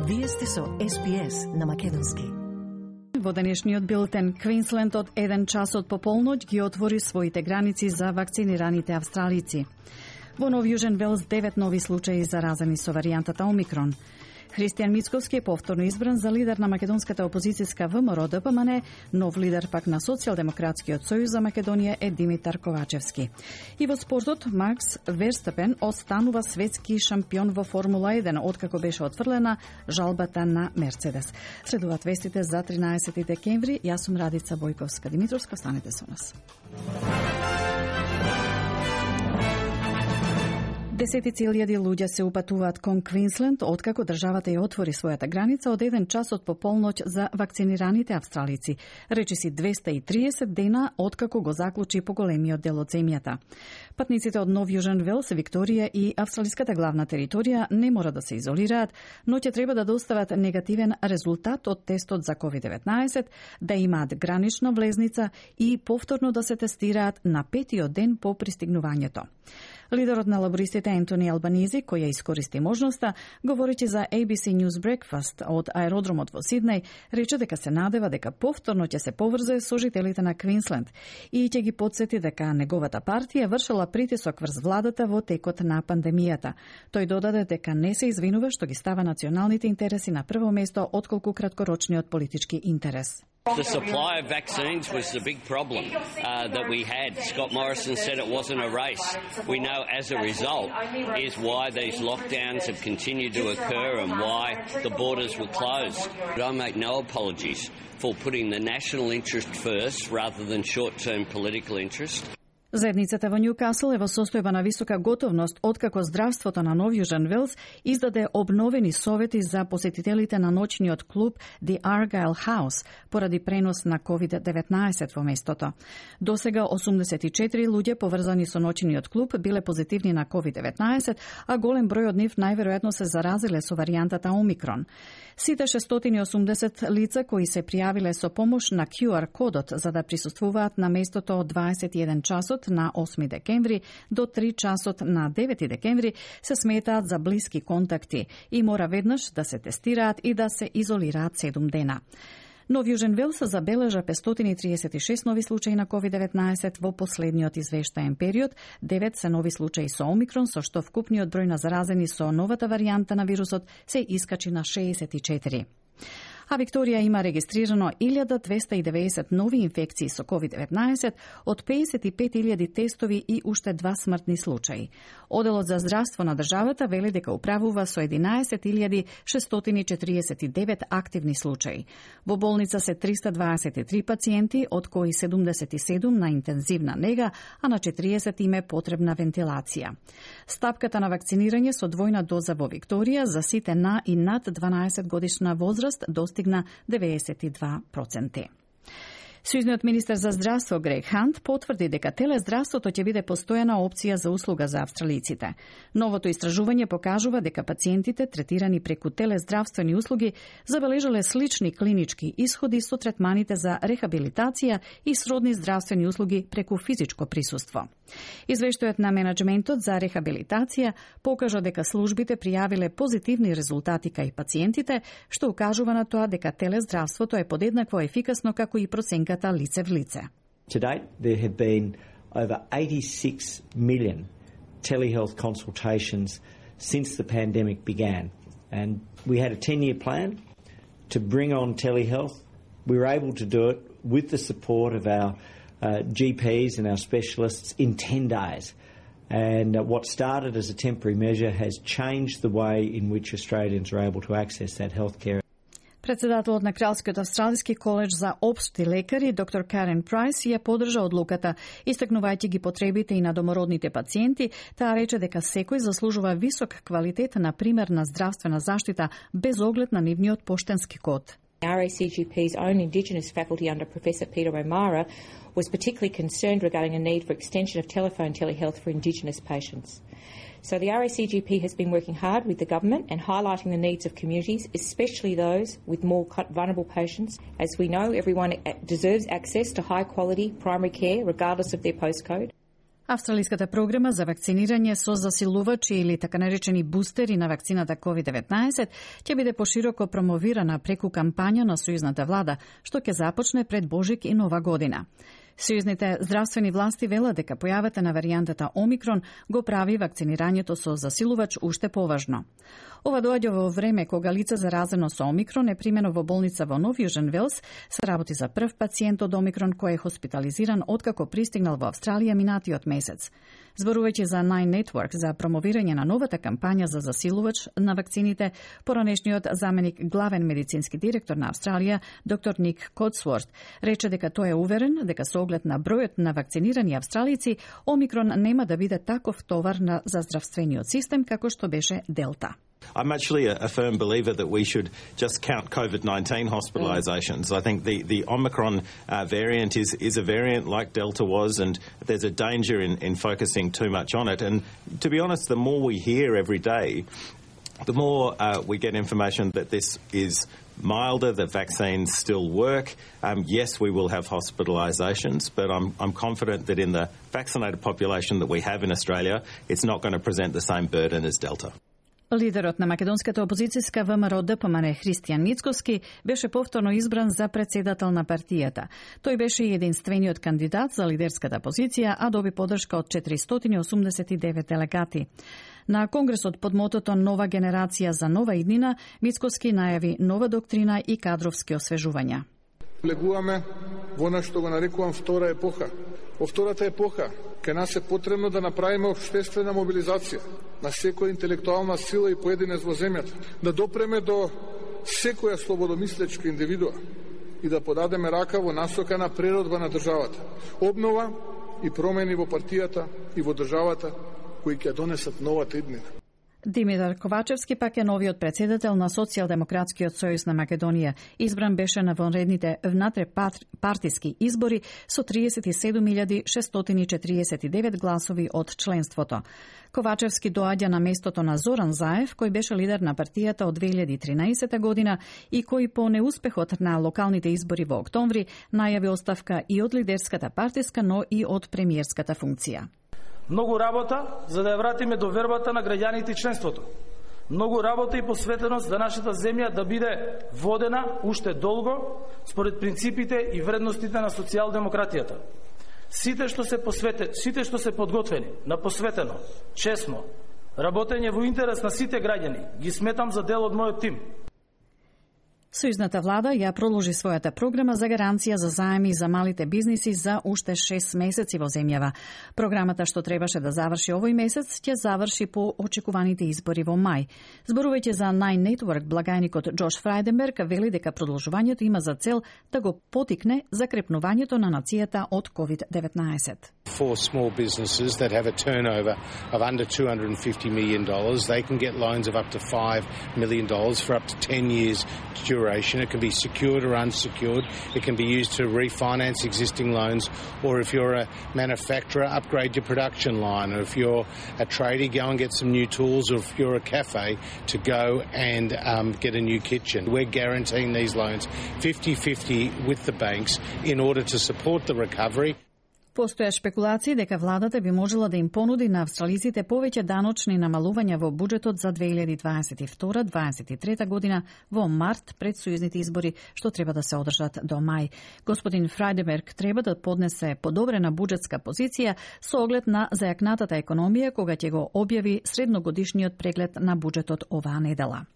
Вие сте со SBS на македонски. Во денешниот билтен, Квинсленд од 1 час од пополноќ ги отвори своите граници за вакцинираните австралици. Во Нов Јужен Велс 9 нови случаи заразени со варијантата Омикрон. Христијан Мицковски е повторно избран за лидер на македонската опозицијска ВМРО-ДПМН, нов лидер пак на Социјалдемократскиот сојуз за Македонија е Димитар Ковачевски. И во спортот, Макс Верстапен останува светски шампион во Формула 1, откако беше отфрлена жалбата на Мерцедес. Следуваат вестите за 13 декември. Јас сум Радица Бојковска-Димитровска, останете со нас. Десетици илјади луѓе се упатуваат кон Квинсленд откако државата ја отвори својата граница од 1 час од пополноќ за вакцинираните австралици. Речиси 230 дена откако го заклучи поголемиот дел од земјата. Патниците од Нов Јужен Велс, Викторија и австралиската главна територија не мора да се изолираат, но ќе треба да достават негативен резултат од тестот за COVID-19, да имаат гранична влезница и повторно да се тестираат на 5-тиот ден по пристигнувањето. Лидерот на лабористите Ентони Албанизи, кој ја искористи можноста, говорејќи за ABC News Breakfast од аеродромот во Сиднеј, рече дека се надева дека повторно ќе се поврзе со жителите на Квинсленд и ќе ги потсети дека неговата партија вршела притисок врз владата во текот на пандемијата. Тој додаде дека не се извинува што ги става националните интереси на прво место отколку краткорочниот политички интерес. The supply of vaccines was the big problem that we had. Scott Morrison said it wasn't a race. We know as a result is why these lockdowns have continued to occur and why the borders were closed. But I make no apologies for putting the national interest first rather than short-term political interest. Заедницата во Њукасл е во состојба на висока готовност откако здравството на Нов Јужен Велс издаде обновени совети за посетителите на ноќниот клуб The Argyle House поради пренос на COVID-19 во местото. Досега 84 луѓе поврзани со ноќниот клуб биле позитивни на COVID-19, а голем број од нив најверојатно се заразиле со варијантата Омикрон. Сите 680 лица кои се пријавиле со помош на QR кодот за да присуствуваат на местото од 21 часот на 8 декември до 3 часот на 9 декември се сметаат за блиски контакти и мора веднаш да се тестираат и да се изолираат 7 дена. Нов Јужен Велс забележа 536 нови случаи на COVID-19 во последниот извештаен период, 9 се нови случаи со Омикрон, со што вкупниот број на заразени со новата варијанта на вирусот се искачи на 64. А Викторија има регистрирано 1290 нови инфекции со COVID-19, од 55.000 тестови и уште 2 смртни случаи. Оделот за здравство на државата вели дека управува со 11.649 активни случаи. Во болница се 323 пациенти, од кои 77 на интензивна нега, а на 40 им е потребна вентилација. Стапката на вакцинирање со двојна доза во Викторија за сите на и над 12 годишна возраст достигна 92%. Сојузниот министер за здравство Грег Хант потврди дека телездравството ќе биде постојана опција за услуга за австралиците. Новото истражување покажува дека пациентите третирани преку телездравствени услуги забележале слични клинички исходи со третманите за рехабилитација и сродни здравствени услуги преку физичко присуство. Извештајот на менаџментот за рехабилитација покажа дека службите пријавиле позитивни резултати кај пациентите, што укажува на тоа дека телездравството е подеднакво ефикасно како и проценката лице в лице. To date, there have been over 86 million telehealth consultations since the pandemic began. And we had a 10-year plan to bring on telehealth. We were able to do it with the support of our GPs and our specialists in 10 days. And what started as a temporary measure has changed the way in which Australians are able to access that healthcare. Председателот на Кралскиот австралиски коледж за општи лекари, доктор Карен Прайс, ја подржа одлуката, истакнувајќи ги потребите и на домородните пациенти. Таа рече дека секој заслужува висок квалитет на примерна здравствена заштита без оглед на нивниот поштенски код. RACGP's own Indigenous faculty under Professor Peter O'Mara was particularly concerned regarding a need for extension of telephone telehealth for Indigenous patients. So the RACGP has been working hard with the government and highlighting the needs of communities, especially those with more vulnerable patients. As we know, everyone deserves access to high quality primary care regardless of their postcode. Австралиската програма за вакцинирање со засилувачи или така наречени бустери на вакцината COVID-19 ќе биде пошироко промовирана преку кампања на сојузната влада, што ќе започне пред Божик и Нова година. Сојузните здравствени власти велат дека појавата на варијантата Омикрон го прави вакцинирањето со засилувач уште поважно. Ова доаѓа во време кога лице заразено со Омикрон е примено во болница во Нов Јужен Велс, се работи за прв пациент од Омикрон кој е хоспитализиран откако пристигнал во Австралија минатиот месец. Зборувајќи за Nine Network за промовирање на новата кампања за засилувач на вакцините, поранешниот заменик главен медицински директор на Австралија, доктор Ник Котсворт, рече дека тој е уверен дека со оглед на бројот на вакцинирани австралици, Омикрон нема да биде таков товар за здравствениот систем како што беше Делта. I'm actually a firm believer that we should just count COVID-19 hospitalisations. I think the Omicron variant is a variant like Delta was, and there's a danger in focusing too much on it. And to be honest, the more we hear every day, the more we get information that this is milder, that vaccines still work. Yes, we will have hospitalisations, but I'm confident that in the vaccinated population that we have in Australia, it's not going to present the same burden as Delta. Лидерот на македонската опозицијска ВМРО ДПМН Христијан Мицкоски беше повторно избран за председател на партијата. Тој беше единствениот кандидат за лидерската позиција, а доби поддршка од 489 делегати. На конгресот под мотото Нова генерација за нова иднина, Мицкоски најави нова доктрина и кадровски освежувања. Влегуваме во она што го нарекувам втора епоха. Во втората епоха кај нас е потребно да направиме општествена мобилизација на секоја интелектуална сила и поединец во земјата, да допреме до секоја слободомислечка индивидуа и да подадеме рака во насока на преродба на државата, обнова и промени во партијата и во државата кои ќе донесат новата иднина. Димитар Ковачевски пак е новиот председател на Социјалдемократскиот сојуз на Македонија. Избран беше на вонредните внатре-партиски избори со 37.649 гласови од членството. Ковачевски доаѓа на местото на Зоран Заев, кој беше лидер на партијата од 2013 година и кој по неуспехот на локалните избори во октомври најави оставка и од лидерската партиска, но и од премиерската функција. Многу работа за да ја вратиме довербата на граѓаните и членството. Многу работа и посветеност за нашата земја да биде водена уште долго според принципите и вредностите на социјалдемократијата. Сите што се подготвени, на посветено, честно, работење во интерес на сите граѓани, ги сметам за дел од мојот тим. Сојузната влада ја продолжи својата програма за гаранција за заеми за малите бизниси за уште 6 месеци во земјава. Програмата што требаше да заврши овој месец ќе заврши по очекуваните избори во мај. Зборувајќи за Nine Network, благајникот Джош Фрајденберг вели дека продолжувањето има за цел да го потикне закрепнувањето на нацијата од COVID-19. For small businesses that have a turnover of under $250 million, they can get loans of up to $5 million for up to 10 years duration. It can be secured or unsecured. It can be used to refinance existing loans, or if you're a manufacturer, upgrade your production line, or if you're a tradie, go and get some new tools, or if you're a cafe, to go and get a new kitchen. We're guaranteeing these loans 50-50 with the banks in order to support the recovery. Постоја шпекулации дека владата би можела да им понуди на австралиците повеќе даночни намалувања во буџетот за 2022-2023 година во март пред сојузните избори, што треба да се одржат до мај. Господин Фрајденберг треба да поднесе подобрена буџетска позиција со оглед на зајакнатата економија кога ќе го објави средногодишниот преглед на буџетот оваа недела.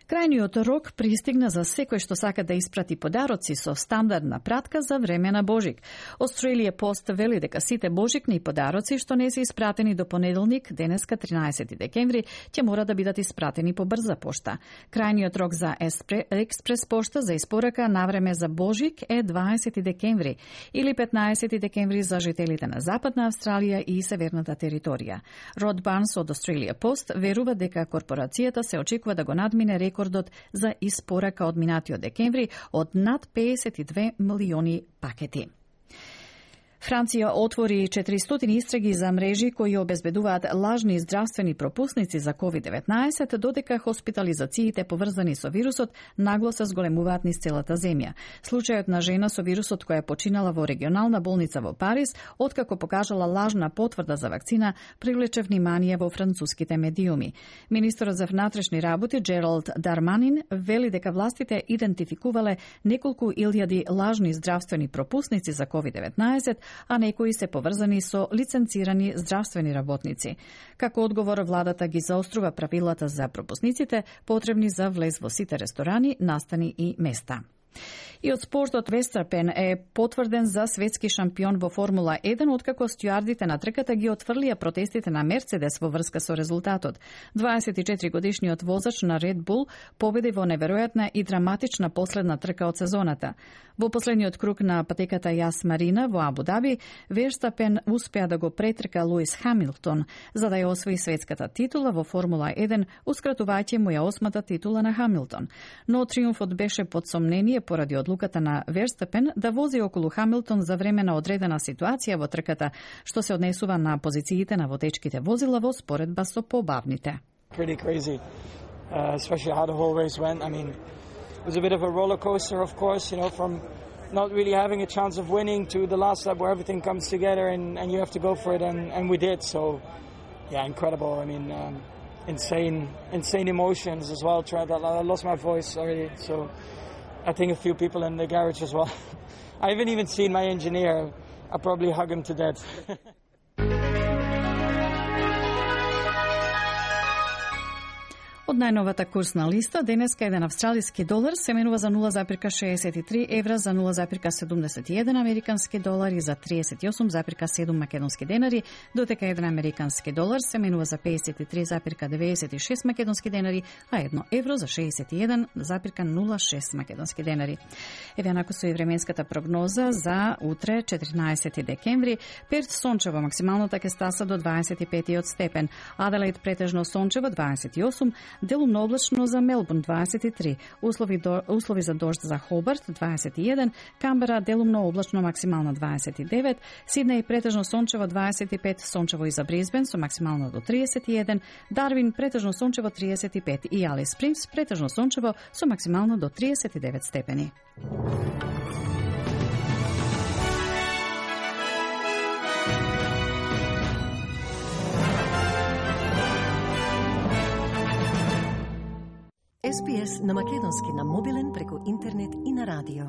Крајниот рок пристигна за секој што сака да испрати подароци со стандардна пратка за време на Божик. Australia Post вели дека сите божикни подароци што не се испратени до понеделник, денеска 13 декември, ќе мора да бидат испратени по брза пошта. Крајниот рок за експрес пошта за испорака на време за Божик е 20 декември или 15 декември за жителите на Западна Австралија и Северната територија. Род Барнс од Australia Post верува дека корпорацијата се очекува да го надмине рекордот за испорака од минатиот декември од над 52 милиони пакети. Франција отвори 400 истраги за мрежи кои обезбедуваат лажни здравствени пропусници за COVID-19, додека хоспитализациите поврзани со вирусот нагло се зголемуваат низ целата земја. Случајот на жена со вирусот која починала во регионална болница во Париз, откако покажала лажна потврда за вакцина, привлече внимание во француските медиуми. Министерот за внатрешни работи Джералд Дарманин вели дека властите идентификувале неколку илјади лажни здравствени пропусници за COVID-19, а некои се поврзани со лиценцирани здравствени работници. Како одговор, владата ги заострува правилата за пропусниците потребни за влез во сите ресторани, настани и места. И од спортот, Верстапен е потврден за светски шампион во Формула 1, откако стюардите на трката ги отфрлија протестите на Мерцедес во врска со резултатот. 24-годишниот возач на Red Bull победи во неверојатна и драматична последна трка од сезоната. Во последниот круг на патеката Јас Марина во Абу Даби, Верстапен успеа да го претрка Луис Хамилтон, за да ја освои светската титула во Формула 1, ускратувајќи му ја 8-та титула на Хамилтон. Но триумфот беше под сомнение поради одлуката на Верстапен да вози околу Хамилтон за време на одредена ситуација во трката, што се однесува на позициите на водечките возила во споредба со побавните. Pretty crazy, especially how the whole race went. I mean, it was a bit of a roller coaster, of course, you know, from not really having a chance of winning to the last lap where everything comes together and you have to go for it, and we did. So, yeah, incredible. I mean, insane emotions as well. I lost my voice already, so I think a few people in the garage as well. I haven't even seen my engineer. I'll probably hug him to death. Од најновата курсна листа, денеска еден австралиски долар се менува за 0,63 евра, за 0,71 американски долари, за 38,7 македонски денари, додека еден американски долар се менува за 53,96 македонски денари, а 1 евро за 61,06 македонски денари. Еве онако со и временската прогноза за утре, 14 декември. Перт сончево, максималната ќе стаса до 25 степен, Аделаид претежно сончево 28, делумно облачно за Мелбурн 23, услови за дожд за Хобарт 21, Камбера делумно облачно максимално 29, Сиднеј претежно сончево 25, сончево и за Брисбен со максимално до 31, Дарвин претежно сончево 35 и Алис Спрингс претежно сончево со максимално до 39 степени. SPS на македонски на мобилен преку интернет и на радио.